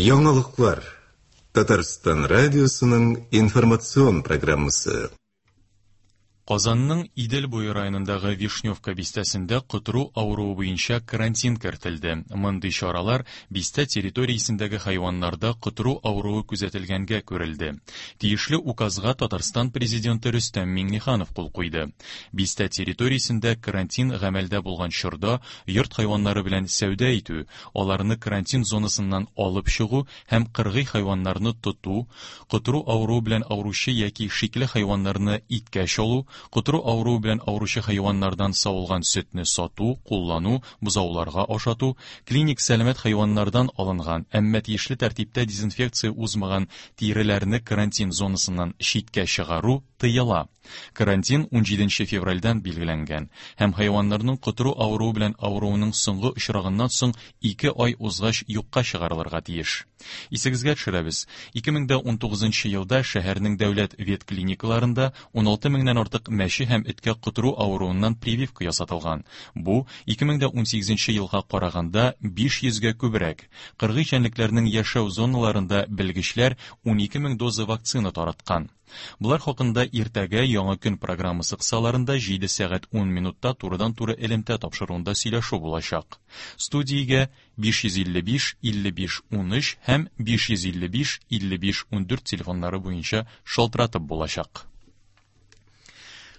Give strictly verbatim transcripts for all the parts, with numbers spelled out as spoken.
Яңалыклар. Татарстан радиосының информацион программасы. Казанның Идел буе районындагы Вишневка бистәсендә котыру авыруы буенча карантин кертелде. Мондый чаралар бистә территориясендәге хайваннарда котыру авыруы күзәтелгәнгә күрелде. Тиешле указга Татарстан президенты Рөстәм Миңнеханов кул куйды. Бистә территориясендә карантин гамәлдә булган чорда йорт хайваннары белән сәүдә итү, аларны карантин зонасыннан алып чыгу һәм кыргый хайваннарны тоту, котыру авыруы белән авыручы яки шикле хайваннарны иткә чалу, котыру авыруы белән авыручы хайваннардан савылган сөтне сату, куллану, бозауларга ашату, клиник сәламәт хайваннардан алынган, әмма тиешле тәртиптә дезинфекция узмаган тиреләрне карантин зонасыннан читкә чыгару тыела. Карантин унҗиденче февральдән билгеләнгән һәм хайваннарның котыру авыруы белән авыруының соңгы очрагыннан соң ике ай узгач юкка чыгарылырга тиеш. Исегезгә төшерәбез, ике мең дә унтугызынчы елда шәһәрнең дәүләт ветклиникаларында уналты меңнән артык мәче һәм эткә котыру авыруыннан прививка ясатылган. Бу ике мең дә унсигезенче елга караганда биш йөзгә күбрәк. Кыргый җәнлекләрнең яшәү зоналарында белгечләр унике мең доза вакцина тараткан. Булар хакында иртәгә Яңа көн программасы кысаларында җиде сәгать ун минутта турыдан-туры элемтә тапшыруында сөйләшү булачак. Студиягә биш йөз илле биш, илле биш, унөч һәм биш йөз илле биш, илле биш, ундүрт телефоннары буенча шалтыратып булачак.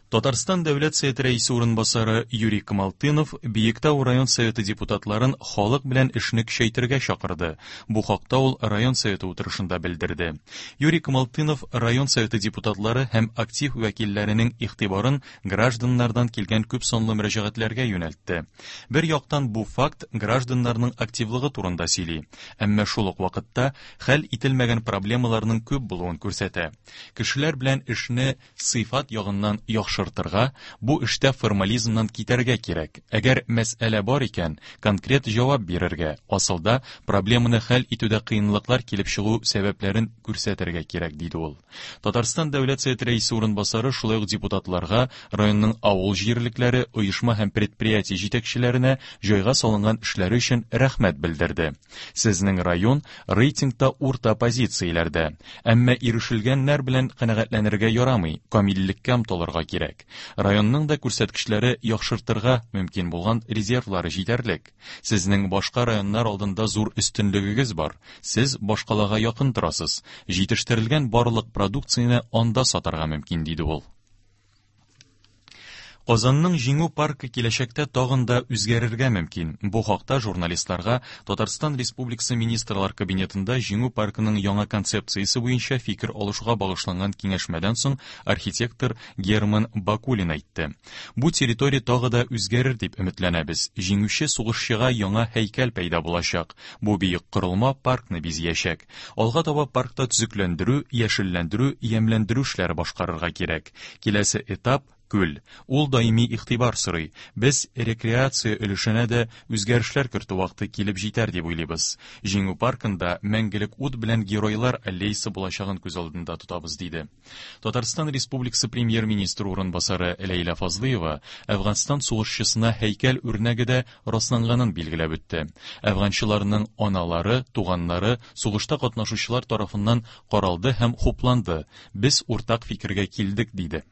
Татарстан Дәүләт Советы рәисе урынбасары Юрий Камалтынов Биектау район советы депутатларын халык белән эшне көчәйтергә чакырды. Бу хакта ул район советы утырышында белдерде. Юрий Камалтынов район советы депутатлары һәм актив вәкилләренең игътибарын гражданнардан килгән күп санлы мөрәҗәгатьләргә юнәлтте. Бер яктан бу факт гражданнарның активлыгы турында сөйли, әмма шул ук вакытта хәл ителмәгән проблемаларның күп булуын күрсәтә. Кешеләр белән эшне сыйфат ягыннан яхшы яхшыртырга, бу эштә формализмнан китәргә кирәк. Әгәр мәсьәлә бар икән, конкрет җавап бирергә, асылда проблеманы хәл итүдә кыенлыклар килеп чыгу сәбәпләрен күрсәтергә кирәк, диде ул. Татарстан Дәүләт Советы рәисе урынбасары шулай ук депутатларга, районның авыл җирлекләре, оешма һәм предприятие җитәкчеләренә җайга салынган эшләре өчен рәхмәт белдерде. Сезнең район рейтингта урта позицияләрдә, әмма ирешелгәннәр белән канәгатьләнергә ярамый, камиллеккә омтылырга кирәк. Районның да күрсәткечләре яхшыртырга мөмкин булган резервлары җитәрлек. Сезнең башка районнар алдында зур өстенлегегез бар. Сез башкалага якын торасыз. Җитештерелгән барлык продукцияне анда сатарга мөмкин, диде ул. Казанның Җиңү паркы киләчәктә тагын да үзгәрергә мөмкин. Бу хакта журналистларга Татарстан Республикасы Министрлар Кабинетында Җиңү паркының яңа концепциясе буенча фикер алышуга багышланган киңәшмәдән соң архитектор Герман Бакулин әйтте. Бу территория тагы да үзгәрер дип өметләнәбез. Җиңүче сугышчыга яңа һәйкәл пәйда булачак. Бу биек корылма паркны бизәячәк. Алга таба паркта төзекләндерү, яшелләндерү, ямьләндерү эшләре башкарырга кирәк. Киләсе этап күл. Ул даими игътибар сорый. Без рекреация өлешенә дә үзгәрешләр кертү вакыты килеп җитәр дип уйлыйбыз. Җиңү паркында мәңгелек ут белән геройлар аллеясы булачагын күз алдында тотабыз, диде. Татарстан Республикасы премьер-министры урынбасары Ләйлә Фазлыева Әфганстан сугышчысына һәйкәл үрнәге дә расланганын билгеләп үтте. Әфганчыларның аналары, туганнары сугышта катнашучылар тарафыннан каралды һәм хупланды. Без уртак фикергә килдек, диде.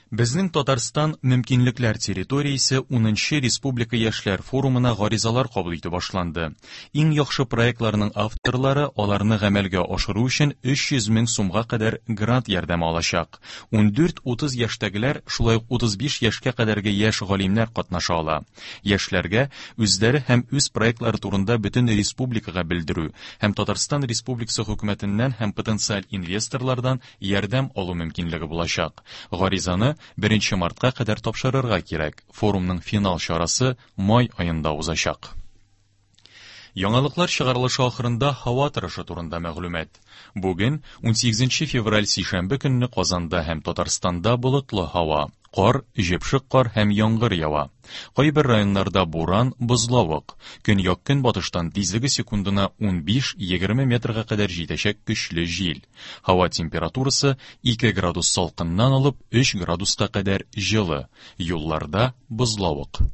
Безнең Татарстан мөмкинлекләр территориясе унынчы Республика яшьләр форумына гаризалар кабул итү башланды. Иң яхшы проектларның авторлары аларны гамәлгә ашыру өчен өч йөз мең сумга кадәр грант ярдәме алачак. Ундүрт утыз яшьтәгеләр, шулай ук утыз биш яшькә кадәрге яшь галимнәр катнаша ала. Яшьләргә үзләре һәм үз проектлары турында бөтен республикага белдерү һәм Татарстан Республикасы хөкүмәтеннән һәм потенциаль инвесторлардан ярдәм алу мөмкинлеге булачак. Гаризаны беренче мартка кадәр тапшырырга кирәк. Форумның финал чарасы май аенда узачак. Яңалыклар чыгарылышы ахырында һава торышы турында мәгълүмат. Бүген унсигезенче февраль сишәмбе көнне Казанда һәм Татарстанда болытлы һава, кар, җепшек кар һәм яңгыр ява. Кайбер районнарда буран, бозлавык. Көньяк-көнбатыштан тизлеге секундына унбиш-егерме метрга кадәр җитәчәк көчле җил. Һава температурасы ике градус салкыннан алып өч градуска кадәр җылы. Юлларда бозлавык.